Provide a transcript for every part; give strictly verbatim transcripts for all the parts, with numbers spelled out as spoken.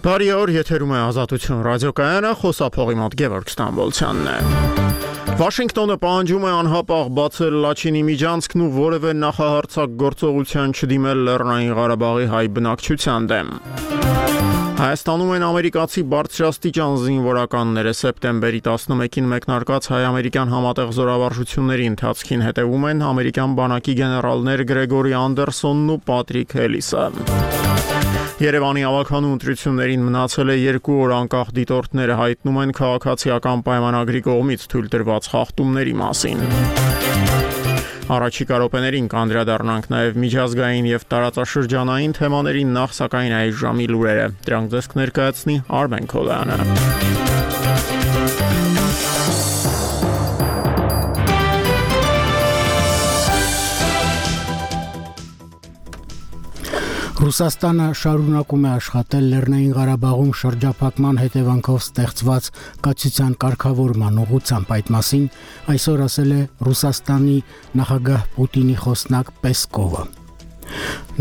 Բարի օր, եթերում է Ազատություն ռադիոկայանը, խոսափողի մոտ Գևորգ Ստամբոլցյանն է։ Վաշինգտոնը պահանջում է անհապաղ բացել Լաչինի միջանցքն ու որևէ նախահարձակ գործողության չդիմել Լեռնային Ղարաբաղի հայ բնակչության դեմ։ Հայաստանում են ամերիկացի բարձրաստիճան զինվորականները սեպտեմբերի տասնմեկին մեկնարկած հայ-ամերիկյան համատեղ զորավարժությունների ընթացքին հետևում են ամերիկյան բանակի գեներալներ Գրեգորի Անդերսոնն ու Պատրիկ Հելիսը։ Երևանի ավագանու ընտրություններին մնացել է երկու օր անկախ դիտորդները հայտնում են քաղաքացիական պայմանագրի կողմից թույլ տրված խախտումների մասին։ Առաջիկա րոպեներին կանդրադառնանք նաև միջազգային եւ տարածաշրջանային թեմաներին, նախ սակայն այս ժամի լուրերը։ Դրանք ձեզ կներկայացնի Արմեն Քոլյանը։ Ռուսաստանը շարունակում է աշխատել Լեռնային Ղարաբաղում շրջափակման հետևանքով ստեղծված կացության կարգավորման ուղղությամբ, այդ մասին այսօր ասել է Ռուսաստանի նախագահ Պուտինի խոսնակ Պեսկովը։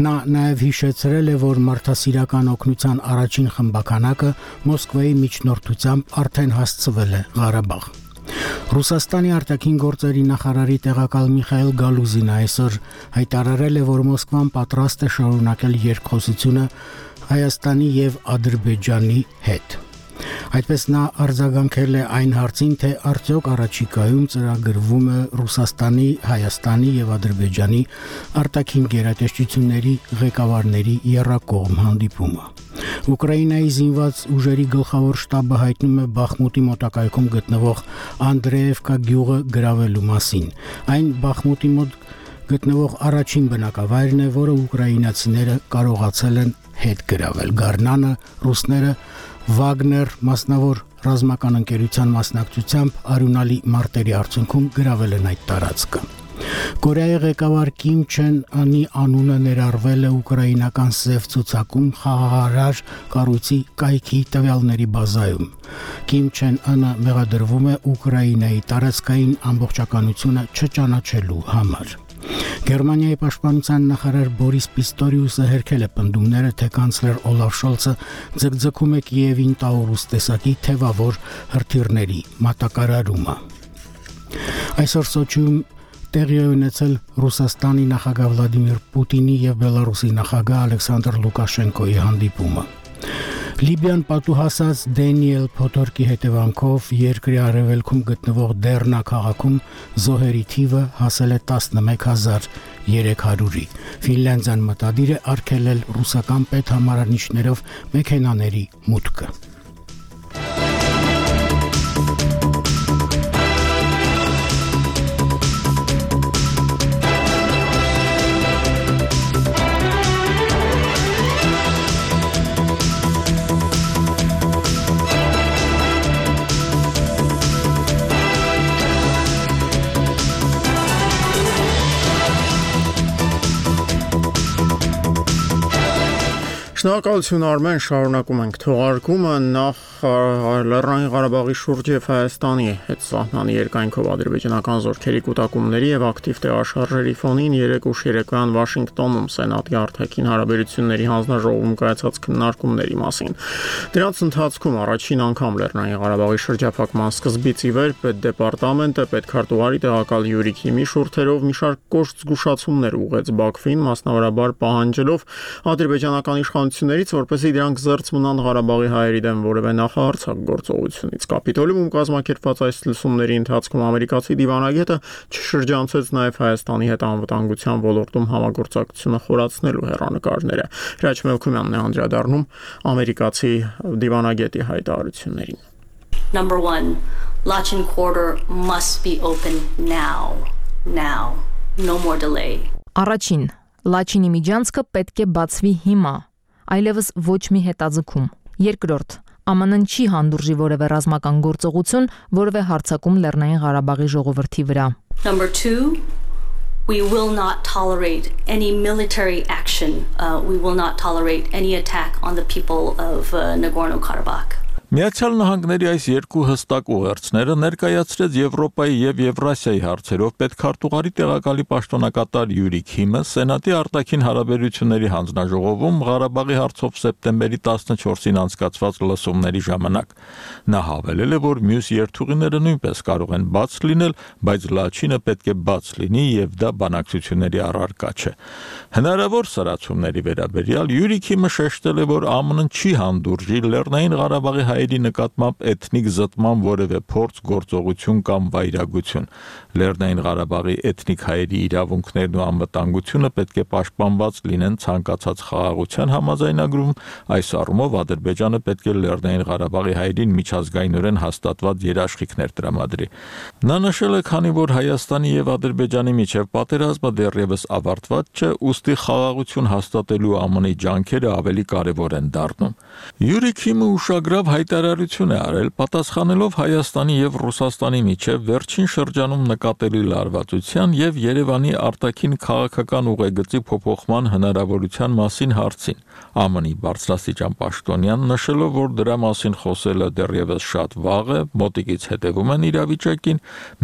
Նա նաև հիշեցրել է, որ մարդասիրական օգնության առաջին խմբականակը Մոսկվայի միջնորդությամբ արդեն հասցվել է Ղարաբաղ։ Ռուսաստանի արտաքին գործերի նախարարի տեղակալ Միխայել Գալուզինը այսօր հայտարարել է, որ Մոսկվան պատրաստ է շարունակել երկխոսությունը Հայաստանի եւ Ադրբեջանի հետ։ Այդպես նա արձագանքել է այն հարցին, թե արդյոք առաջիկայում ծրագրվում է Ռուսաստանի, Հայաստանի եւ Ադրբեջանի արտաքին գերատեսչությունների ղեկավարների եռակողմ հանդիպումը։ Ուկրաինայի զինված ուժերի գլխավոր շտաբը հայտնում է Բախմուտի մոտակայքում գտնվող Անդրեևկա գյուղը գրավելու մասին։ Այն Բախմուտի մոտ գտնվող առաջին բնակավայրն է, որը ուկրաինացիները կարողացել են հետ գրավել։ Գառնանը ռուսները Վագներ մասնավոր ռազմական ընկերության մասնակցությամբ արյունալի մարտերի արդյունքում գրավել են այդ տարածքը։ Կորեայի ղեկավար Կիմ Չեն Անի անունը ներառվել է ուկրաինական սև ցուցակում խաղաղարար կառույցի կայքի տվյալների բազայում։ Կիմ Չեն Անը մեղադրվում է Ուկրաինայի տարածքային ամբողջականությունը չճանաչելու համար։ Գերմանիայի պաշտպանության նախարար Բորիս Պիստորիուսը հերքել է պնդումները, թե կանցլեր Օլաֆ Շոլցը ձգձգում է Կիևին Տաուրուս տեսակի թևավոր հրթիռների մատակարարումը։ Այսօր Սոչիում տեղի է ունեցել Ռուսաստանի նախագահ Վլադիմիր Պուտինի եւ Բելարուսի նախագահ Ալեքսանդր Լուկաշենկոյի հանդիպումը։ Լիբիան պատուհասած Դենիել Փոթորկի հետևանքով երկրի արևելքում գտնվող Դեռնա քաղաքում զոհերի թիվը հասել է տասնմեկ հազար երեք հարյուրի։ Ֆինլանդիան մտադիր է արգելել ռուսական պետհամարանիշներով մեքենաների մուտքը։ Շնորհակալություն Արմեն, շարունակում ենք թողարկումը, նախ Լեռնային Ղարաբաղի շուրջ եւ Հայաստանի հետ սահմանի երկայնքով ադրբեջանական զորքերի կուտակումների եւ ակտիվ տեղաշարժերի ֆոնին երեկ ուշ երեկոյան Վաշինգտոնում Սենատի արտաքին հարաբերությունների հանձնաժողովում կայացած քննարկումների մասին։ Դրանց ընթացքում առաջին անգամ Լեռնային Ղարաբաղի շրջափակման սկզբից ի վեր պետդեպարտամենտը պետքարտուղարի տեղակալ Յուրի Քիմի շուրթերով մի շարք կոշտ զգուշացումներ ուղղեց Բաքվին, մասնավորաբար պահանջելով ադրբեջանական իշխանություններից, որպեսզի դրանք զերծ մնան Ղարաբաղի հայերի դեմ որևէ նախահարձակ գործողությունից։ Կապիտոլիում կազմակերպված այս լսումների ընթացքում ամերիկացի դիվանագետը չշրջանցեց նաև Հայաստանի հետ անվտանգության ոլորտում համագործակցությունը խորացնելու հեռանկարները։ Հրաչ Մելքումյանն է անդրադառնում ամերիկացի դիվանագետի հայտարարություններին։ Number one, Lachin corridor must be open now. Now. No more delay. Առաջին, Լաչինի միջանցքը պետք է բացվի հիմա, այլևս ոչ մի հետաձգում։ Երկրորդ, Ամն Են չի հանդուրժի որևէ ռազմական գործողություն, որևէ հարձակում Լեռնային Ղարաբաղի ժողովրդի վրա։ Number two, we will not tolerate any military action. Uh, we will not tolerate any attack on the people of uh, Nagorno-Karabakh. Միացյալ Նահանգների այս երկու հստակ ուղերձները ներկայացրեց Եվրոպայի եւ Եվրասիայի հարցերով պետքարտուղարի տեղակալի պաշտոնակատար Յուրի Քիմը Սենատի արտաքին հարաբերությունների հանձնաժողովում Ղարաբաղի հարցով սեպտեմբերի տասնչորսին անցկացված լսումների ժամանակ։ Նա հավելել է, որ մյուս երթուղիները նույնպես կարող են բաց լինել, բայց Լաչինը պետք է բաց լինի եւ դա բանակցությունների առարկա չէ։ Հնարավոր սրացումների վերաբերյալ Յուրի Քիմը շեշտել է, որ ԱՄՆ-ն չի հանդուրժի Լեռնային Ղարաբաղի հայերի նկատմամբ էթնիկ զտման որևէ փորձ, գործողություն կամ վայրագություն։ Լեռնային Ղարաբաղի էթնիկ հայերի իրավունքներն ու անվտանգությունը պետք է պաշտպանված լինեն ցանկացած խաղաղության համաձայնագրում, այս առումով Ադրբեջանը պետք է Լեռնային Ղարաբաղի հայերին միջազգայինորեն հաստատված երաշխիքներ տրամադրի։ Նա նշել է, քանի որ Հայաստանի եւ Ադրբեջանի միջև պատերազմը դեռևս ավարտված չէ, ուստի խաղաղություն հաստատելու ԱՄՆ-ի ջանքերը ավելի կարևոր են դառնում։ Յուրի Քիմը ուշագրավ հայտարարություն է արել, պատասխանելով Հայաստանի եւ Ռուսաստանի միջև վերջին շրջանում նկատելի լարվածության եւ Երևանի արտաքին քաղաքական ուղեգծի փոփոխման հնարավորության մասին հարցին։ ԱՄՆ-ի բարձրաստիճան պաշտոնյան նշելով, որ դրա մասին խոսելը դեռևս շատ վաղ է, մոտիկից հետևում են իրավիճակին,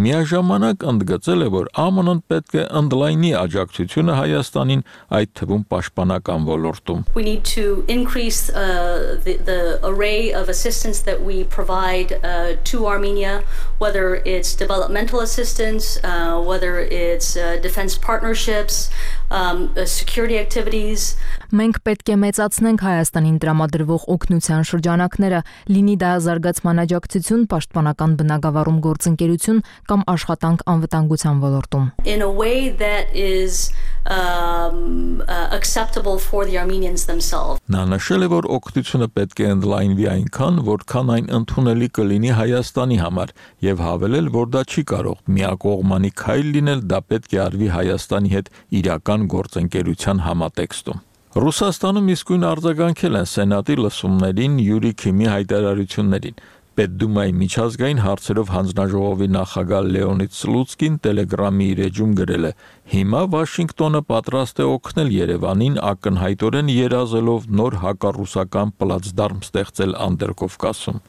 միաժամանակ ընդգծել է, որ ԱՄՆ-ն պետք է ընդլայնի աջակցությունը Հայաստանին, այդ թվում պաշտպանական ոլորտում։ We need to increase uh, the, the array of assistance that we provide uh, to Armenia, whether it's developmental assistance, uh, whether it's uh, defense partnerships, um, uh, security activities. Մենք պետք է մեծացնենք Հայաստանին տրամադրվող օգնության շրջանակները, լինի դա զարգացման աջակցություն, պաշտպանական բնագավառում գործընկերություն կամ աշխատանք անվտանգության ոլորտում։ In a way that is um, uh, acceptable for the Armenians themselves. Նա նշել է, որ օգնությունը պետք է ընդլայնվի այնքան, որքան այն ընդունելի կլինի Հայաստանի համար, եւ հավելել, որ դա չի կարող միակողմանի քայլ լինել, դա պետք է արվի Հայաստանի հետ իրական գործընկերության համատեքստում։ Ռուսաստանում իսկույն արձագանքել են Սենատի լսումներին Յուրի Քիմի հայտարարություններին։ Պետդումայի միջազգային հարցերով հանձնաժողովի նախագահ Լեոնիդ Սլուցկին Telegram-ի իր էջում գրել է. Հիմա Վաշինգտոնը պատրաստ է օգնել Երևանին ակնհայտորեն երազելով նոր հակառուսական պլացդարմ ստեղծել Անդրկովկասում։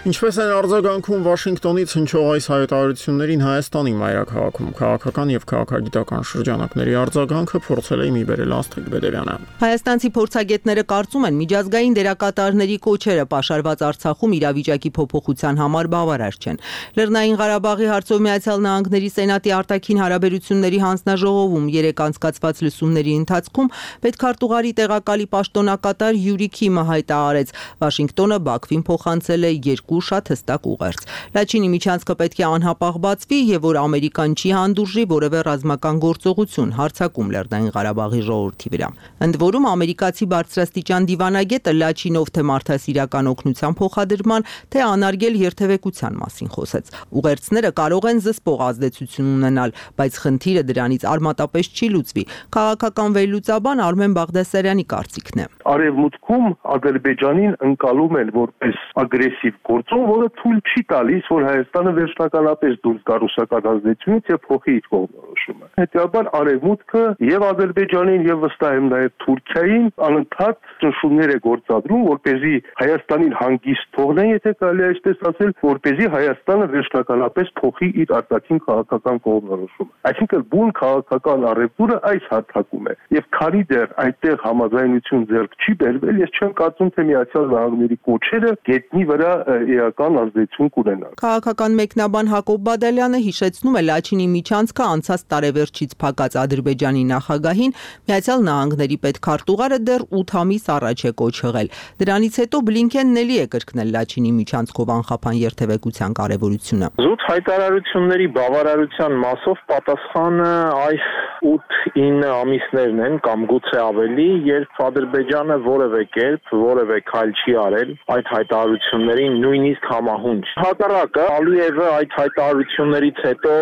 Ինչպես են արձագանքում Վաշինգտոնից հնչող այս հայտարարություններին Հայաստանի մայրաքաղաքում քաղաքական եւ քաղաքագիտական շրջանակների արձագանքը փորձել է մի բերել Աստղիկ Բեդևյանը։ Հայաստանցի փորձագետները կարծում են միջազգային դերակատարների կոչերը պաշարված Արցախում իրավիճակի փոփոխության համար բավարար չեն։ Լեռնային Ղարաբաղի հարցով Միացյալ Նահանգների Սենատի արտաքին հարաբերությունների հանձնաժողովում երեք անցկացված լսումների ընթացքում պետքարտուղարի տեղակալի պաշտոնակատար Յուրի Քիմը հայտարարեց, Վաշինգտոնը Բաքվին փոխանցել է երկու շատ հստակ ուղերձ։ Լաչինի միջանցքը պետք է անհապաղ բացվի եւ որ Ամերիկան չի հանդուրժի որևէ ռազմական գործողություն հարձակում Լեռնային Ղարաբաղի ժողովրդի վրա։ Ընդ որում ամերիկացի բարձրաստիճան դիվանագետը Լաչինով թե մարդասիրական օգնության փոխադրման, թե անարգել երթևեկության մասին խոսեց։ Ուղերձները կարող են զսպող ազդեցություն ունենալ, բայց խնդիրը դրանից արմատապես չի լուծվի։ Քաղաքական վերլուծաբան Արմեն Բաղդասարյանի կարծիքն է։ Արևմուտքում Ադրբեջանին ընկալում են որպես ագրեսիվ գործոն, որը թույլ չի տալիս, որ Հայաստանը վերջնականապես դուրս գա ռուսական ազդեցությունից եւ փոխի իր կողմնորոշումը։ Հետեւաբար Արևմուտքը եւ Ադրբեջանին եւ վստահ եմ նաեւ Թուրքիային անընդհատ ճնշումներ է գործադրում, որպեսզի Հայաստանին հանգիստ թողնեն, եթե կարելի է այսպես ասել, որպեսզի Հայաստանը վերջնականապես փոխի իր արտաքին քաղաքական կողմնորոշումը։ Այսինքն բուն քաղաքական առևտուրը այս հարթակում է։ Եվ քանի դեռ այդտեղ համաձայնություն ձեռք չի բերվել, ես չեմ կարծում, թե Միացյալ Նահանգների կոչերը գետնի վրա էական ազդեցություն կունենան։ Քաղաքական մեկնաբան Հակոբ Բադալյանը հիշեցնում է Լաչինի միջանցքը անցած տարեվերջից փակած Ադրբեջանի նախագահին, Միացյալ Նահանգների պետքարտուղարը դեռ ութ ամիս առաջ է կոչ եղել։ Դրանից հետո Բլինքենն էլի է կրկնել Լաչինի միջանցքով անխափան երթևեկության կարևորությունը։ Զուտ հայտարարությունների բավարարության մասով պատասխանը այս ութ-ինը ամիսներն են կամ գուցե ավելի, երբ Ադրբեջանը որևէ կերպ որևէ քայլ չի արել այդ հայտարարություններին նույնիսկ համահունչ։ Հակառակը Ալիևը այդ հայտարարություններից հետո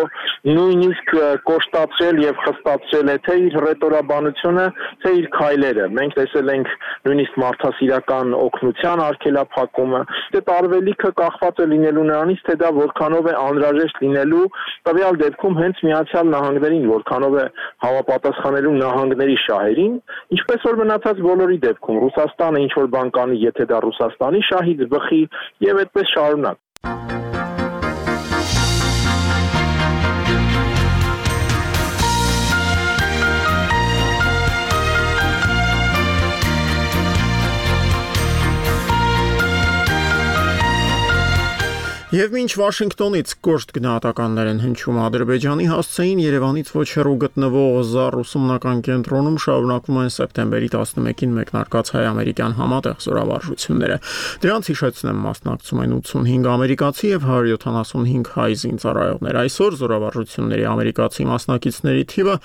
նույնիսկ կոշտացրել եւ խստացրել է թե իր ռետորաբանությունը, թե իր քայլերը։ Մենք տեսել ենք նույնիսկ մարդասիրական օգնության արգելափակումը։ Դե տարվելիքը կախված է լինելու նրանից, թե դա որքանով է անհրաժեշտ լինելու տվյալ դեպքում հենց Միացյալ Նահանգներին, որքանով է համապատասխանելու նահանգների շահերին, ինչպես որ մնացած բոլորի դեպքում Ռուսաստանը ինչ որ բան կանի, եթե դա Ռուսաստանի շահից բխի եւ այդպես շարունակ։ Եվ մինչ Վաշինգտոնից կոշտ գնահատականներ են հնչում Ադրբեջանի, հասցեին Երևանից ոչ հեռու գտնվող ԶԱՌ ուսումնական կենտրոնում շարունակվում են սեպտեմբերի տասնմեկին մեկնարկած հայ-ամերիկյան համատեղ զորավարժությունները։ Դրանց հիշեցնեմ մասնակցում են ութսունհինգ ամերիկացի եւ հարյուր յոթանասունհինգ հայ զինծառայողներ։ Այսօր զորավարժությունների ամերիկացի մասնակիցների թիվը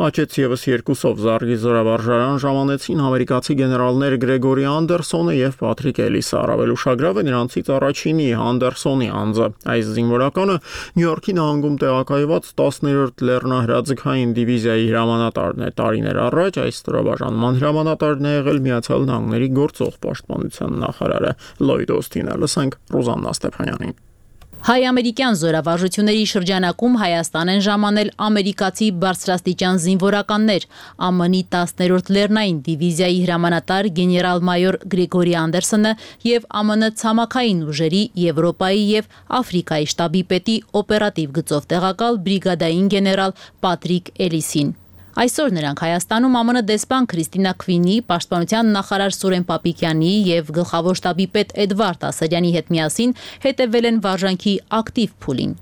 աճեց եւս երկուսով։ ԶԱՌ-ի զորավարժարան ժամանեցին ամերիկացի գեներալներ Գրեգորի Անդերսոնը եւ Պատրիկ Էլիսը։ Առավել ուշագրավ է նրանցից առաջինի Անդերսոնի անձը։ Այս զինվորականը Նյու Յորքի նահանգում տեղակայված տասներորդ լեռնահրաձգային դիվիզիայի հրամանատարն է։ Տարիներ առաջ այս ստորաբաժանման հրամանատարն է եղել Միացյալ Նահանգների գործող պաշտպանության նախարարը Լոյդ Օստինը։ Լսենք Ռուզաննա Ստեփանյանին։ Հայ-ամերիկյան զորավարժությունների շրջանակում Հայաստան են ժամանել ամերիկացի բարձրաստիճան զինվորականներ, ԱՄՆ-ի տասներորդ լեռնային դիվիզիայի հրամանատար գեներալ-մայոր Գրեգորի Անդերսոնը եւ ԱՄՆ ցամաքային ուժերի Եվրոպայի եւ Աֆրիկայի շտաբի պետի օպերատիվ գծով տեղակալ բրիգադային գեներալ Պատրիկ Էլիսին։ Այսօր նրանք Հայաստանում ԱՄՆ դեսպան Քրիստինա Քվինի, պաշտպանության նախարար Սուրեն Պապիկյանի եւ գլխավոր շտաբի պետ Էդվարդ Ասարյանի հետ միասին հետևել են վարժանքի ակտիվ փուլին։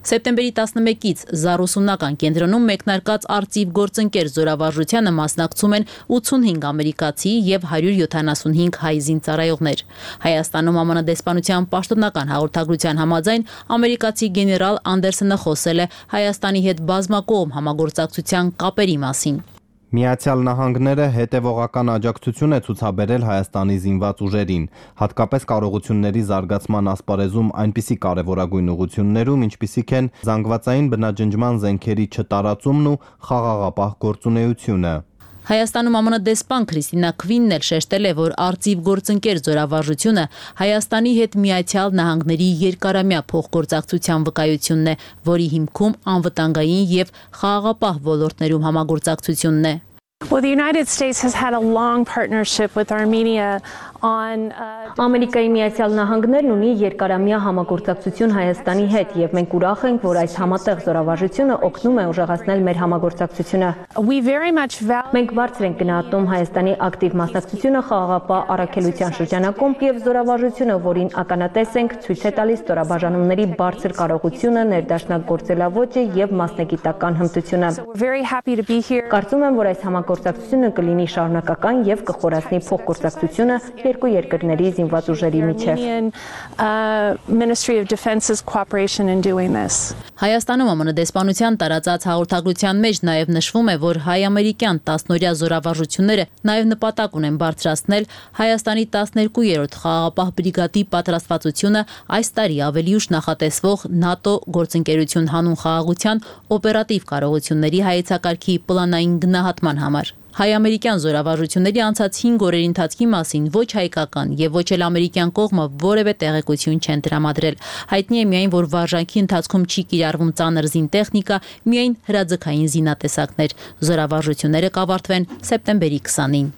Սեպտեմբերի տասնմեկից ԶԱՌ ուսումնական կենտրոնում մեկնարկած արծիվ գործընկեր զորավարժությանը մասնակցում են ութսունհինգ ամերիկացի եւ հարյուր յոթանասունհինգ հայ զինծառայողներ։ Հայաստանում ԱՄՆ դեսպանության պաշտոնական հաղորդագրության համաձայն ամերիկացի գեներալ Անդերսոնը խոսել է Հայաստանի հետ բազմակողմ համագործակցության կապերի մասին։ Միացյալ Նահանգները հետևողական աջակցություն է ցուցաբերել Հայաստանի զինված ուժերին, հատկապես կարողությունների զարգացման ասպարեզում այնպիսի կարևորագույն ուղղություններում, ինչպիսիք են զանգվածային բնաջնջման զենքերի չտարածումն ու խաղաղապահ գործունեությունը։ Հայաստանում ԱՄՆ դեսպան Քրիստինա Քվինն էլ շեշտել է, որ արծիվ գործընկեր զորավարժությունը Հայաստանի հետ Միացյալ Նահանգների երկարամյա փոխգործակցության վկայությունն է, որի հիմքում անվտանգային եւ խաղաղապահ ոլորտներում համագործակցությունն է։ Well, the United States has had a long partnership with Armenia on Ամերիկայի Միացյալ Նահանգներն ունի երկարամյա համագործակցություն Հայաստանի հետ եւ մենք ուրախ ենք, որ այս համատեղ զորավարժությունը օգնում է ուժեղացնել մեր համագործակցությունը։ We very much value Մենք բարձր ենք գնահատում Հայաստանի ակտիվ մասնակցությունը խաղաղապահ առաքելության շրջանակում եւ զորավարժությունը, որին ականատես ենք, ցույց է տալիս ստորաբաժանումների բարձր կարողությունը, ներդաշնակ գործելավոճը եւ մասնագիտական հմտությունը։ very happy to be here. Կարծում եմ, որ այս համագործակցությունը կլինի շարունակական եւ կխորացնի փոխգործակցությունը երկու երկրների զինված ուժերի միջև։ Ministry of Defense's cooperation in doing this. Հայաստանում ԱՄՆ դեսպանության տարածած հաղորդագրության մեջ նաև նշվում է, որ հայ-ամերիկյան տասնօրյա զորավարժությունները նաև նպատակ ունեն բարձրացնել Հայաստանի տասներկուերորդ խաղաղապահ բրիգադի պատրաստվածությունը այս տարի ավելի ուշ նախատեսվող ՆԱՏՕ գործընկերություն հանուն խաղաղության օպերատիվ կարողությունների հայեցակարգի պլանային գնահատման համար։ Հայ-ամերիկյան զորավարժությունների անցած հինգ օրերի ընթացքի մասին ոչ հայկական եւ ոչ էլ ամերիկյան կողմը որևէ տեղեկություն չեն տրամադրել։ Հայտնի է միայն, որ վարժանքի ընթացքում չի կիրառվում ծանր զինտեխնիկա, միայն հրաձգային զինատեսակներ։ Զորավարժությունները կավարտվեն սեպտեմբերի քսանին։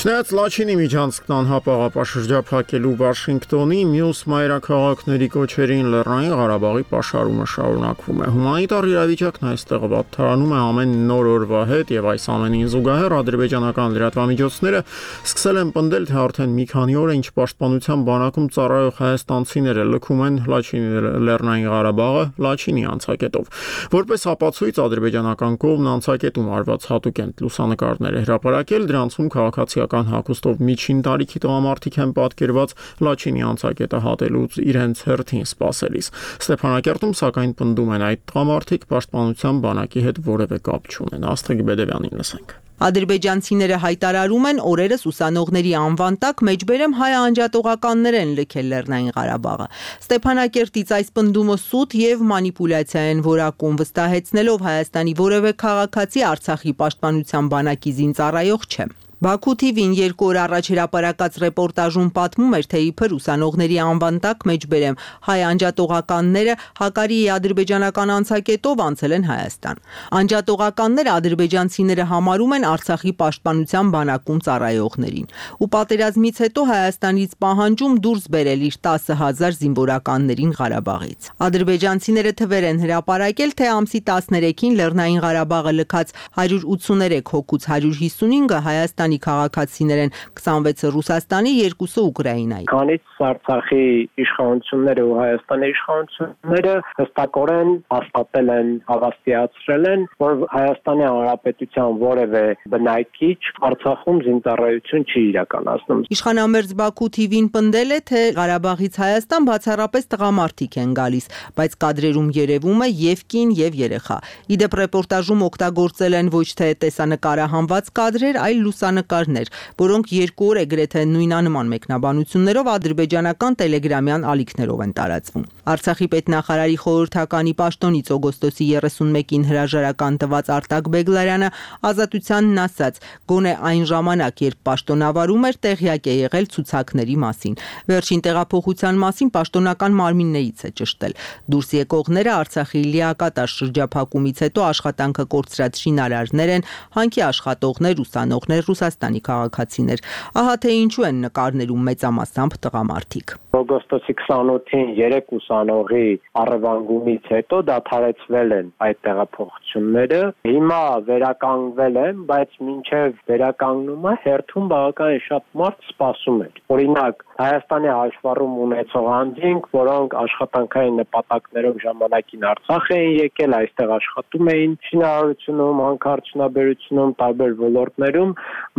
Չնայած Լաչինի միջանցքն անհապաղ շրջափակելու Վաշինգտոնի մյուս մայրաքաղաքների կոչերին Լեռնային Ղարաբաղի պաշարումը շարունակվում է։ Հումանիտար իրավիճակն այստեղ վատթարանում է ամեն նոր օրվա հետ եւ այս ամենին զուգահեռ ադրբեջանական լրատվամիջոցները սկսել են պնդել, թե արդեն մի քանի օր է ինչ պաշտպանության բանակում ծառայող հայաստանցիները լքում են Լաչինի Լեռնային Ղարաբաղը Լաչինի անցակետով։ Որպես ապացույց ադրբեջանական կողմն անցակետում արված հատուկենտ լուսանկարներ է հրապարակել, դրանցում քաղաքացիական հագուստով միջին տարիքի տղամարդիկ են պատկերված Լաչինի անցակետը հատելուց իրենց հերթին սպասելիս։ Ստեփանակերտում սակայն պնդում են այդ տղամարդիկ պաշտպանության բանակի հետ որևէ կապ չունեն։ Աստղիկ Բեդևյանին լսենք։ Ադրբեջանցիները հայտարարում են օրերս ուսանողների անվան տակ մեջբերեմ հայ անջատողականներ են լքել Լեռնային Ղարաբաղը։ Ստեփանակերտից այս պնդումը սուտ եւ մանիպուլյացիա են որակում, վստահեցնելով Հայաստանի որևէ քաղաքացի Արցախի պաշտպանության բանակի զինծառայող չէ։ Բաքու թիվին երկու օր առաջ հրապարակած ռեպորտաժում պատմում էր, թե իբր ուսանողների անվան տակ մեջբերեմ հայ անջատողականները Հակարիի ադրբեջանական անցակետով անցել են Հայաստան։ Անջատողականները ադրբեջանցիները համարում են Արցախի պաշտպանության բանակում ծառայողներին։ Ու պատերազմից հետո Հայաստանից պահանջում դուրս բերել իր տասը հազար զինվորականներին Ղարաբաղից։ Ադրբեջանցիները թվեր են հրապարակել, թե ամսի տասներեքին Լեռնային Ղարաբաղը լքած հարյուր ութսուներեք հոգուց հարյուր հիսունինը Հայաստանի քաղաքացիներ են, քսանվեցը Ռուսաստանի, երկուսը Ուկրաինայի։ Քանից Արցախի իշխանությունները ու Հայաստանի իշխանությունները հստակորեն հաստատել են, հավաստիացրել են, որ Հայաստանի Հանրապետության որևէ բնակիչ Արցախում զինծառայություն չի իրականացնում։ Իշխանամերձ Բաքու թիվին պնդել է, թե Ղարաբաղից Հայաստան բացառապես տղամարդիկ են գալիս, բայց կադրերում երևում է եւ կին եւ երեխա։ Իդեպ ռեպորտաժում օգտագործել են ոչ թե տեսանկարահանված կադրեր, այլ լուսանկարներ, որոնք երկու օր է գրեթե նույնանման մեկնաբանություններով ադրբեջանական տելեգրամյան ալիքներով են տարածվում։ Արցախի պետնախարարի խորհրդականի պաշտոնից օգոստոսի երեսունմեկին հրաժարական տված Արտակ Բեգլարյանը Ազատությանն ասաց, գոնե այն ժամանակ, երբ պաշտոնավարում էր, տեղյակ է եղել ցուցակների մասին։ Վերջին տեղափոխության մասին պաշտոնական մարմիններից է ճշտել։ Դուրս եկողները Արցախի լիակատար շրջափակումից հետո աշխատանքը կորցրած շինարարներ են, հանքի աշխատողներ, ուսանողներ, Ռուսաստանի քաղաքացիներ։ Ահա թե ինչու են նկարներում մեծամասամբ տղամարդիկ։ Օգոստոսի քսանութին երեք ուսանողի առևանգումից հետո դադարեցվել են այդ տեղափոխությունները։ Հիմա վերականգնվել են, բայց մինչև վերականգնումը հերթում բավականին շատ մարդ սպասում էր։ Օրինակ, Հայաստանի հաշվառում ունեցող անձինք, որոնք աշխատանքային նպատակներով ժամանակին Արցախ էին եկել, այստեղ աշխատում էին շինարարությունում, հանքարդյունաբերությունում, տարբեր ոլորտներում,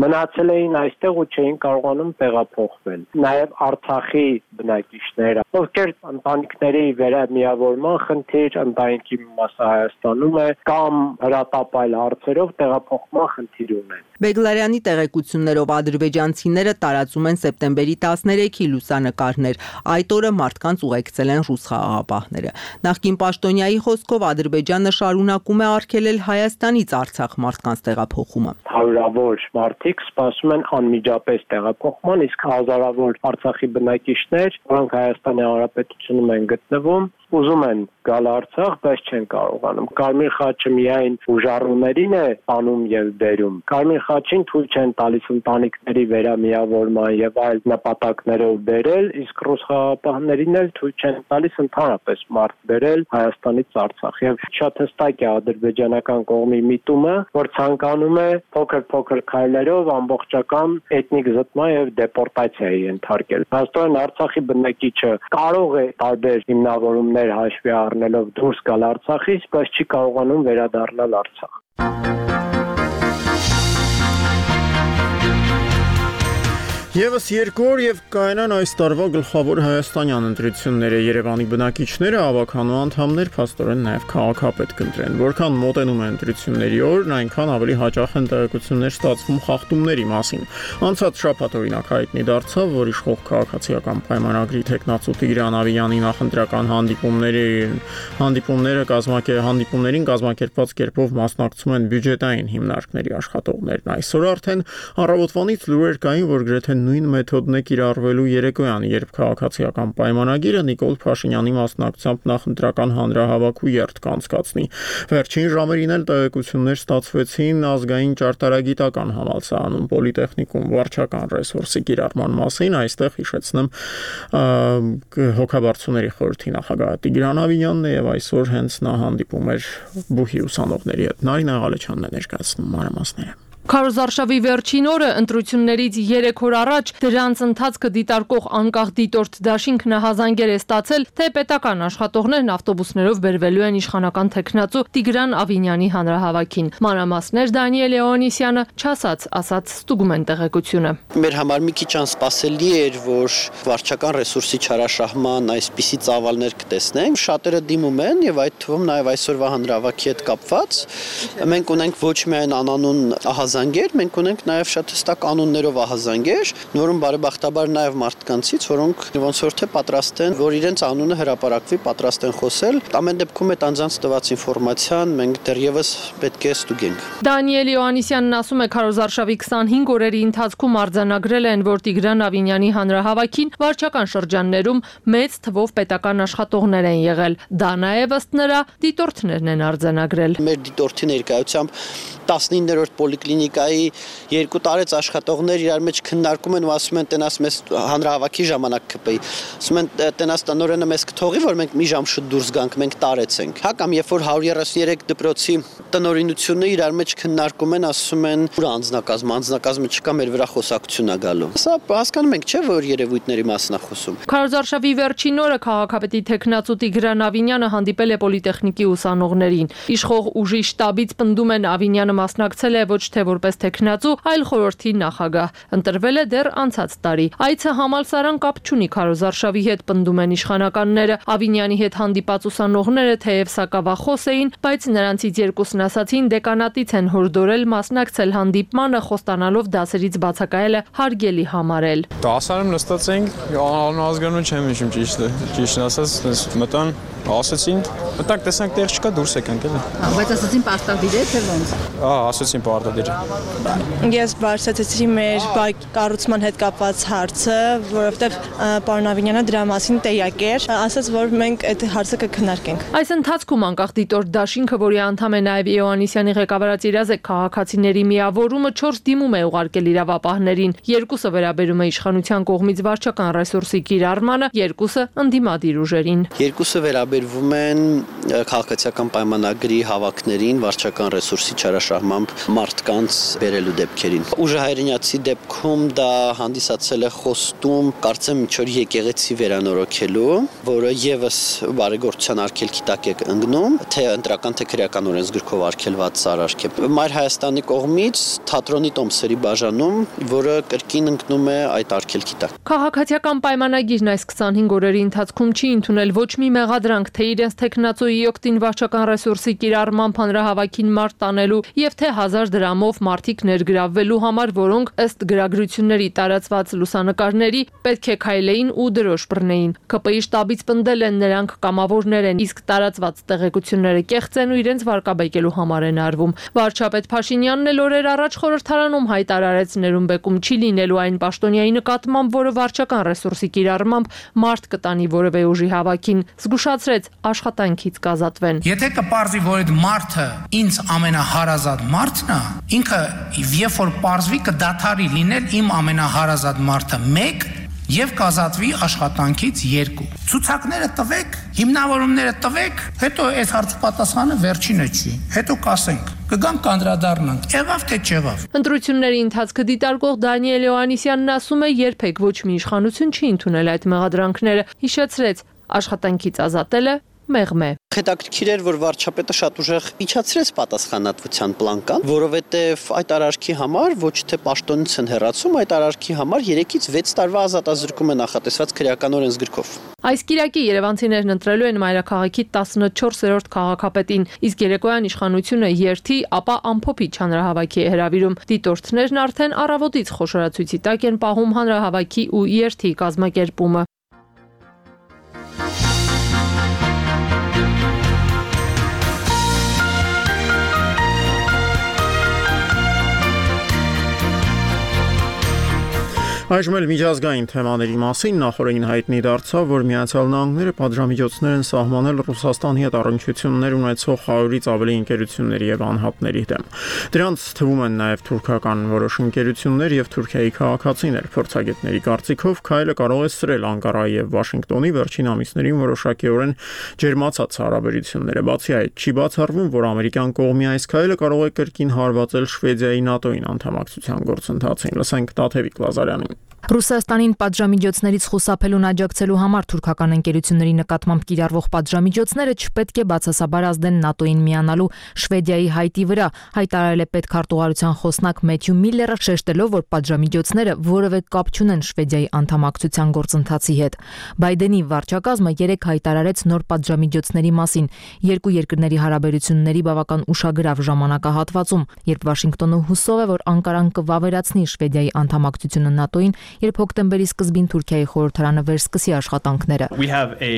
մնացել էին այստեղ ու չէին կարողանում տեղափոխվել։ Նաև Արցախի բնակիչները, ովքեր ընտանիքների վերամիավորման խնդիր, ընտանիքի մասը Հայաստանում է, կամ հրատապայլ հարցերով տեղափոխման խնդիր ունեն։ Բեգլարյանի տեղեկություններով ադրբեջանցիները տարածում են սեպտեմբերի տասներեքի լուսանկարներ։ Այդ օրը մարդկանց ուղեկցել են ռուս խաղաղապահները։ Նախկին պաշտոնյայի խոսքով Ադրբեջանը շարունակում է արգելել Հայաստանից Արցախ մարդկանց տեղափոխումը։ Հարյուրավոր մարդիկ սպասում են անմիջապես տեղափոխման, իսկ հազարավոր Արցախի բնակիչներ, որոնք Հայաստանի Հանրապետությունում են գտնվում, ուզում են գալ Արցախ, բայց չեն կարողանում։ Կարմիր խաչը միայն ուժառուներին է անում եւ բերում։ Կարմիր խաչին թույլ չեն տալիս ընտանիքների վերամիավորման եւ այլ նպատակներով բերել, իսկ ռուս խաղաղապահներին էլ թույլ չեն տալիս ընդհանրապես մարդ բերել Հայաստանից Արցախ։ Եվ շատ հստակ է ադրբեջանական կողմի միտումը, որ ցանկանում է փոքր-փոքր քայլերով ամբողջական էթնիկ զտման եւ դեպորտացիայի ենթարկել։ Հաստատորեն Արցախի բնակիչը կարող է տարբեր հիմնավորումներ հաշվի առնելով դուրս գալ Արցախից, բայց չի կարողանում վերադառնալ Արցախ։ Եվս երկու օր եւ կայանան այս տարվա գլխավոր հայաստանյան ընտրությունները։ Երևանի բնակիչները ավականու անդամներ փաստորեն նաեւ քաղաքապետ կընտրեն։ Որքան մոտենում է ընտրությունների օրն, այնքան ավելի հաճախ են տեղեկություններ ստացվում խախտումների մասին։ Անցած շաբաթ օրինակ հայտնի դարձավ, որ իշխող քաղաքացիական պայմանագրի տեխնացու Տիգրան Ավիյանի նախընտրական հանդիպումների հանդիպումները կազմակերպ հանդիպումներին կազմակերպված կերպով մասնակցում են բյուջետային հիմնարկների աշխատողներն։ Այսօր արդեն առավոտվանից լուրեր կային, որ գրեթե նույն մեթոդն է կիրառվելու երեկոյան, երբ քաղաքացիական պայմանագիրը Նիկոլ Փաշինյանի մասնակցությամբ նախընտրական հանրահավաք ու երթ կանցկացնի։ Վերջին ժամերին էլ տեղեկություններ ստացվեցին ազգային ճարտարագիտական համալսարանում պոլիտեխնիկում վարչական ռեսուրսի կիրառման մասին, այստեղ հիշեցնեմ հոգաբարձուների խորհրդի նախագահ Տիգրան Ավիյանն է եւ այսօր հենց նա հանդիպում էր բուհի ուսանողների հետ։ Նարինե Ղալեչյանն է ներկայացնում մանրամասները։ Քարոզարշավի վերջին օրը ընտրություններից երեք օր առաջ դրանց ընթացքը դիտարկող անկախ դիտորդ դաշինքն հազանգեր է ստացել, թե պետական աշխատողներն ավտոբուսներով բերվելու են իշխանական տեխնացու Տիգրան Ավինյանի հանրահավաքին։ Մանրամասներ Դանիել Լեոնիսյանը չասած, ասած ստուգում են տեղեկությունը։ Մեր համար մի քիչ անսպասելի էր, որ վարչական ռեսուրսի չարաշահման այսպիսի ծավալներ կտեսնենք։ Շատերը դիմում են եւ այդ թվում նաեւ այսօրվա հանրահավաքի հետ կապված մենք ունենք ոչ միայն անանուն ահազանգ ահազանգեր, մենք ունենք նաև շատ հստակ կանոններով ահազանգեր, որոնք բարեբախտաբար նաև մարդկանցից, որոնք ոնց որ թե պատրաստ են, որ իրենց անունը հրապարակվի, պատրաստ են խոսել։ Ամեն դեպքում այդ անձանց տված ինֆորմացիան մենք դեռևս պետք է ստուգենք։ Դանիել Յոհաննիսյանն ասում է, քարոզարշավի քսանհինգ օրերի ընթացքում արձանագրել են, որ Տիգրան Ավինյանի հանրահավաքին վարչական շրջաններում մեծ թվով պետական աշխատողներ են եղել։ Դա նաև ըստ նրա դիտորդներն են արձանագրել։ Մեր դիտորդի ներկայությամբ տասնիններորդ պոլիկլինիկայի երկու տարեց աշխատողներ իրար մեջ քննարկում են ու ասում են տենաս մեզ հանրահավաքի ժամանակ կպեի։ Ասում են տենաս տնօրենը մեզ կթողի, որ մենք մի ժամ շուտ դուրս գանք, մենք տարեցենք։ Հա կամ երբ որ հարյուր երեսուններեք դպրոցի տնօրինությունը իրար մեջ քննարկում են, ասում են ուր անձնակազմ, անձնակազմը չկա, մեր վրա խոսակցություն է գալու։ Սա հասկանում ենք, չէ՞, որ երևույթների մասն է խոսում։ Քարոզարշավի վերջին օրը քաղաքապետի տեխնացու Տիգրան Ավինյանը հանդիպել է պոլիտեխնիկի ուսանողներին։ Իշխող ուժի շտաբից պնդում են Ավինյանը մասնակցել է ոչ թե որպես տեխնացու, այլ խորհրդի նախագահ։ Ընտրվել է դեռ անցած տարի։ Այցը համալսարան կապ չունի քարոզարշավի հետ, պնդում են իշխանականները։ Ավինյանի հետ հանդիպած ուսանողները թեև սակավախոս էին, բայց նրանցից երկուսն ասացին դեկանատից են հորդորել մասնակցել հանդիպմանը, խոստանալով դասերից բացակայելը հարգելի համարել։ Դասարանում նստած էինք, անհազգանում չեմ հիշում ճիշտը, ճիշտն ասած, մտան, ասացին, մտանք տեսանք տեղ չկա, դուրս եկանք էլի։ Բայց ասացին պարտադիր է թե ոնց։ Ահա, ասացին պարտադիր։ Ես բարձրացրեցի մեր կառուցման հետ կապված հարցը, որովհետև պարոն Ավինյանը դրա մասին տեղյակ էր, ասաց, որ մենք այդ հարցը կքննարկենք։ Այս ընթացքում անկախ դիտորդ դաշինքը, որի անդամ է նաև Յոհաննիսյանի ղեկավարած իրազեկ քաղաքացիների միավորումը, չորս դիմում է ուղարկել իրավապահներին։ Երկուսը վերաբերում է իշխանության կողմից վարչական ռեսուրսի կիրառմանը, երկուսը ընդդիմադիր ուժերին։ Երկուսը վերաբերվում են քաղաքացիական պայմանագրի հավաքներին, վարչական ռեսուրսի չարաշահմամբ մարդկանց բերելու դեպքերին։ Ուժը հայրենիացի դեպքում դա հանդիսացել է խոստում, կարծեմ ինչ-որ եկեղեցի վերանորոգելու, որը եւս բարեգործության արգելքի տակ է ընկնում, թե ընտրական թե քրեական օրենսգրքով արգելված արարք է։ Մայր Հայաստանի կողմից թատրոնի տոմսերի բաժանում, որը կրկին ընկնում է այդ արգելքի տակ։ Քաղաքացիական պայմանագիրն այս քսանհինգ օրերի ընթացքում չի ընդունել ոչ մի մեղադրանք, թե իրենց տեխնացուի օգտին վարչական ռեսուրսի կիրառմամբ հանրահավաքին մարդ տանելու եւ թե հազար դրամով մարդիկ ներգրավվելու համար, որոնք ըստ գրագրությունների տարածված լուսանկարների պետք է քայլեին ու դրոշ բռնեին։ ԿՊԻ շտաբից պնդել են նրանք կամավորներ են, իսկ տարածված տեղեկությունները կեղծ են ու իրենց վարկաբեկելու համար են արվում։ Վարչապետ Փաշինյանն էլ օրեր առաջ խորհրդարանում հայտարարեց ներումբեկում չի լինելու այն պաշտոնյայի նկատմամբ, որը վարչական ռեսուրսի կիրառմամբ մարդ կտանի որևէ ուժի հավաքին, զգուշացրեց աշխատանքից կազատվեն։ Եթե կպարզվի, որ այդ մարդը ինձ ամենահարազատ մարդն է, ինքը երբ որ պարզվի կդադարի լինել իմ ամենահարազատ մարդը մեկ եւ կազատվի աշխատանքից երկու։ Ցուցակները տվեք, հիմնավորումները տվեք, հետո այս հարցի պատասխանը վերջինը չի։ Հետո կասենք, կգանք կանդրադառնանք, եղավ թե չեղավ։ Ընտրությունների ընթացքը դիտարկող Դանիել Յոհաննիսյանն ասում է, երբեք ոչ մի իշխանություն չի ընդունել այդ մեղադրանքները, հիշեցրեց, աշխատանքից ազատելը մեղմ է։ Հետաքրքիր էր, որ վարչապետը շատ ուժեղ իջացրեց պատասխանատվության պլանկան, որովհետև այդ արարքի համար ոչ թե պաշտոնից են հեռացում, այդ արարքի համար երեքից վեց տարվա ազատազրկում է նախատեսված քրեական օրենսգրքով։ Այս կիրակի երևանցիներն ընտրելու են մայրաքաղաքի տասնչորսերորդ քաղաքապետին, իսկ երեկոյան իշխանությունը երթի, ապա ամփոփիչ հանրահավաքի է հրավիրում։ Դիտորդներն արդեն առավոտից խոշորացույցի տակ են պահում հանրահավաքի ու երթի կազմակերպումը։ Այժմ էլ միջազգային թեմաների մասին նախորդին հայտնի դարձավ, որ Միացյալ Նահանգները պատժամիջոցներ են սահմանել Ռուսաստանի հետ առնչություններ ունեցող հարյուրից ավելի ընկերությունների եւ անհատների դեմ։ Դրանց թվում են նաեւ թուրքական որոշ ընկերություններ եւ Թուրքիայի քաղաքացիներ։ Փորձագետների կարծիքով քայլը կարող է սրել Անկարայի եւ Վաշինգտոնի վերջին ամիսներին որոշակիորեն ջերմացած հարաբերությունները։ Բացի այդ, չի բացառվում, որ ամերիկյան կողմի այս քայլը կարող է կրկին հարվածել Շվեդիայի ՆԱՏՕ-ին անդամակցության գործընթացին։ Լսենք Տաթևիկ Լազարյանին։ Ռուսաստանին պատժամիջոցներից խուսափելուն աջակցելու համար թուրքական ընկերությունների նկատմամբ կիրառվող պատժամիջոցները չպետք է բացասաբար ազդեն ՆԱՏՕ-ին միանալու Շվեդիայի հայտի վրա, հայտարարել է պետքարտուղարության խոսնակ Մեթյու Միլլերը, շեշտելով, որ պատժամիջոցները որևէ կապ չունեն Շվեդիայի անդամակցության գործընթացի հետ։ Բայդենի վարչակազմը երեկ հայտարարեց նոր պատժամիջոցների մասին երկու երկրների հարաբերությունների բավական ուշագրավ ժամանակահատվածում, երբ Վաշինգտոնը հուսով է, որ Անկարան կվավերացնի Շվեդիայի անդամակցությունը ՆԱՏՕ-ին, երբ հոկտեմբերի սկզբին Թուրքիայի խորհրդարանը վերսկսի աշխատանքները։ We have a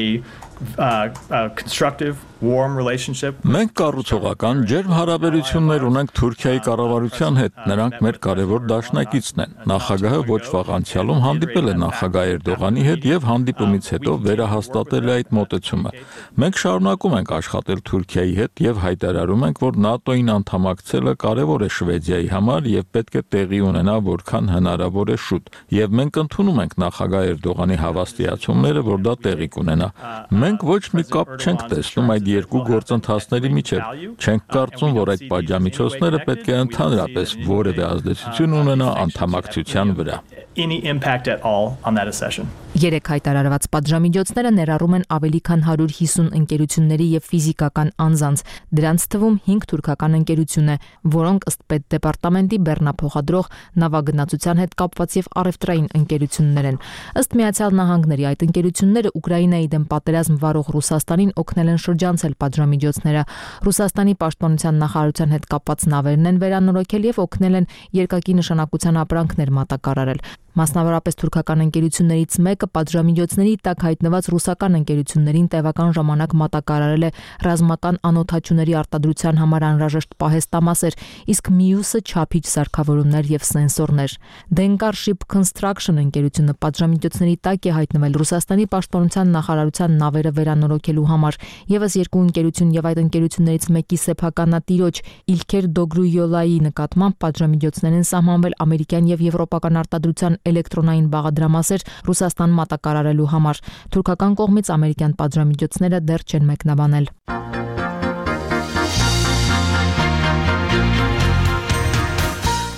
uh, a constructive warm relationship. Մենք կառուցողական ջերմ հարաբերություններ ունենք Թուրքիայի կառավարության հետ։ Նրանք մեր կարևոր դաշնակիցն են։ Նախագահը ոչ վաղ անցյալում հանդիպել է նախագահ Էրդողանի հետ եւ հանդիպումից հետո վերահաստատել է այդ մոտեցումը։ Մենք շարունակում ենք աշխատել Թուրքիայի հետ եւ հայտարարում ենք, որ ՆԱՏՕ-ին անդամակցելը կարևոր է Շվեդիայի համար եւ պետք է տեղի ունենա որքան հնարավոր է շուտ։ Եվ մենք ընդունում ենք նախագահ Էրդողանի հավաստիացումները, որ դա տեղի կունենա։ Մենք ոչ մի կապ չենք տեսնում այդ երկու գործընթացների միջև։ Չենք կարծում, որ այդ պատժամիջոցները պետք է ընդհանրապես որևէ ազդեցություն ունենա անդամակցության վրա։ Any impact at all on that accession. Երեք հայտարարված պատժամիջոցները ներառում են ավելի քան հարյուր հիսուն ընկերությունների եւ ֆիզիկական անձանց, դրանց թվում հինգ թուրքական ընկերություն է, որոնք ըստ պետդեպարտամենտի բեռնափոխադրող նավագնացության հետ կապված եւ առևտրային ընկերություններ են։ Ըստ Միացյալ Նահանգների այդ ընկերությունները Ուկրաինայի դեմ պատերազմ վարող Ռուսաստանին օգնել են շրջանցել պատժամիջոցները։ Ռուսաստանի պաշտպանության նախարարության հետ կապված նավերն են վերանորոգել եւ օգնել են երկակի նշանակության ապրանքներ մատակարարել։ Մասնավորապես թուրքական ընկերություններից մեկը պատժամիջոցների տակ հայտնված ռուսական ընկերություններին տևական ժամանակ մատակարարել է ռազմական անօդաչուների արտադրության համար անհրաժեշտ պահեստամասեր, իսկ մյուսը չափիչ սարքավորումներ եւ սենսորներ։ Dengar Ship Construction ընկերությունը պատժամիջոցների տակ է հայտնվել Ռուսաստանի պաշտպանության նախարարության նավերը վերանորոգելու համար։ Եվս երկու ընկերություն եւ այդ ընկերություններից մեկի սեփականատիրոջ Իլքեր Դոգրույոլայի նկատմամբ պատժամիջոցներ են սահմանվել ամերիկյան եւ եվրոպական արտադրության էլեկտրոնային բաղադրամասեր Ռուսաստան մատակարարելու համար։ Թուրքական կողմից ամերիկյան պատժամիջոցները դեռ չեն մեկնաբանել։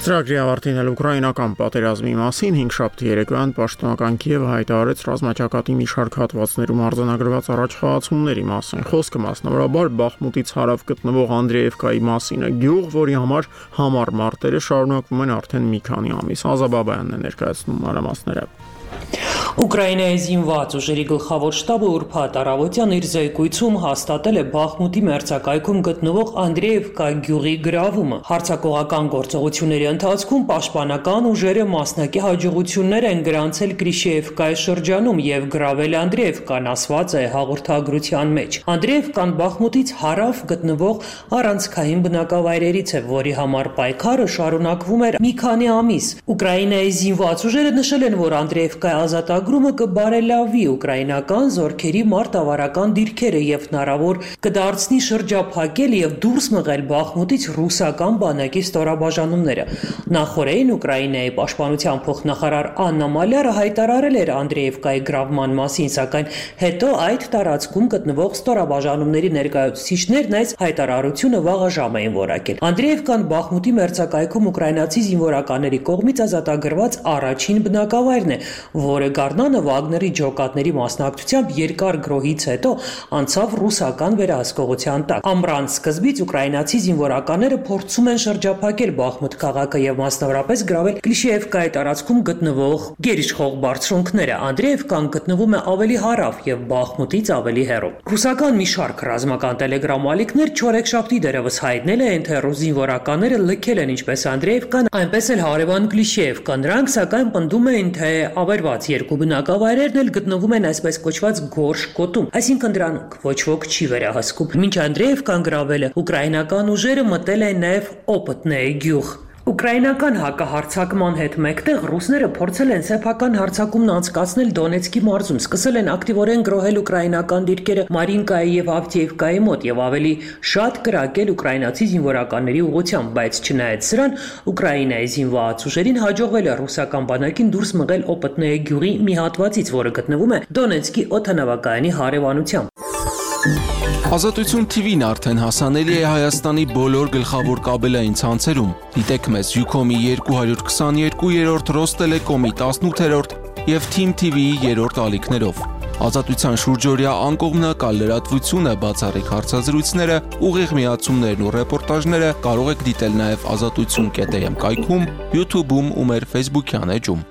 Ծրագրի ավարտին էլ ուկրաինական պատերազմի մասին հինգշաբթի երեկոյան պաշտոնական Կիևը հայտարարեց ռազմաճակատի մի շարք հատվածներում արձանագրված առաջխաղացումների մասին։ Խոսքը մասնավորաբար Բախմուտից հարավ գտնվող Անդրեևկայի մասին է, գյուղ, որի համար համառ մարտերը շարունակվում են արդեն մի քանի ամիս։ Ազաբաբայանն է ներկայացնում մանրամասները։ Ուկրաինայի զինված ուժերի գլխավոր շտաբը ուրբաթ առավոտյան իր զեկույցում հաստատել է Բախմուտի մերձակայքում գտնվող Անդրեևկա գյուղի գրավումը։ Հարձակողական գործողությունների ընթացքում պաշտպանական ուժերը մասնակի հաջողություններ են գրանցել Կրիշեևկայի շրջանում եւ գրավել Անդրեևկան, ասված է հաղորդագրության մեջ։ Անդրեևկան Բախմուտից հարավ գտնվող առանցքային բնակավայրերից է, որի համար պայքարը շարունակվում էր մի քանի ամիս։ Ուկրաինայի զինված ուժերը նշել են, որ Անդրեևկայի ազատագրումը կբարելավի ուկրաինական զորքերի մարտավարական դիրքերը եւ հնարավոր կդարձնի շրջափակել եւ դուրս մղել Բախմուտից ռուսական բանակի ստորաբաժանումները։ Նախորդին Ուկրաինայի պաշտպանության փոխնախարար Աննա Մալյարը հայտարարել էր Անդրեևկայի գրավման մասին, սակայն հետո այդ տարածքում գտնվող ստորաբաժանումների ներկայացուցիչներն այս հայտարարությունը վաղաժամ էին որակել։ Անդրեևկան Բախմուտի մերձակայքում ուկրաինացի զինվորականների կողմից ազատագրված առաջին բնակավայրն է, որը Գառնանը Վագների ջոկատների մասնակցությամբ երկար գրոհից հետո անցավ ռուսական վերահսկողության տակ։ Ամռան սկզբից ուկրաինացի զինվորականները փորձում են շրջափակել Բախմուտ քաղաքը եւ մասնավորապես գրավել Կլիշեևկայի տարածքում գտնվող գերիշխող բարձրունքները։ Անդրեևկան գտնվում է ավելի հարավ եւ Բախմուտից ավելի հեռու։ Ռուսական մի շարք ռազմական տելեգրամ ալիքներ չորեքշաբթի դերևս հայտնել են, թե ռուս զինվորականները լքել են ինչպես Անդրեևկան, այնպես էլ հարևան Կլիշեևկա։ Նրանք սակայն պնդում էին, թե ավերված երկու բնակավայրերն էլ գտնվում են այսպես կոչված գորշ գոտում, այսինքն դրանք ոչ ոք չի վերահսկում։ Մինչ Անդրեևկան գրավել է, ուկրաինական ուժերը մտել են նաև Օպտնեի գյուղ։ Ուկրաինական հակահարձակման հետ մեկտեղ ռուսները փորձել են սեփական հարձակումն անցկացնել Դոնեցկի մարզում, սկսել են ակտիվորեն գրոհել ուկրաինական դիրքերը Մարինկայի եւ Ավդիևկայի մոտ եւ ավելի շատ կրակել ուկրաինացի զինվորականների ուղղությամբ, բայց չնայած սրան Ուկրաինայի զինված ուժերին հաջողվել է ռուսական բանակին դուրս մղել Օպտնեի գյուղի մի հատվածից, որը գտնվում է Դոնեցկի օդանավակայանի հարևանությամբ։ Ազատություն T V-ն արդեն հասանելի է Հայաստանի բոլոր գլխավոր կաբելային ցանցերում։ Դիտեք մեզ Ucom-ի երկու քսաներկու, Ռոստելեկոմի տասնութերորդ եւ Team T V-ի երրորդ ալիքներով։ Ազատության շուրջօրյա անկողմնակալ լրատվությունը, բացառիկ հարցազրույցները, ուղիղ միացումներն ու ռեպորտաժները կարող եք դիտել նաև ազատություն կետ am կայքում, YouTube-ում ու մեր Facebook-յան էջում։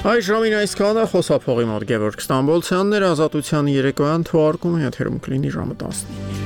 Այս ժամին այսքանը խոսափողի մոտ Գևորգ Ստամբոլցյանն էր, ազատության երեկոյան թողարկումը եթերում կլինի ժամը տասնինը։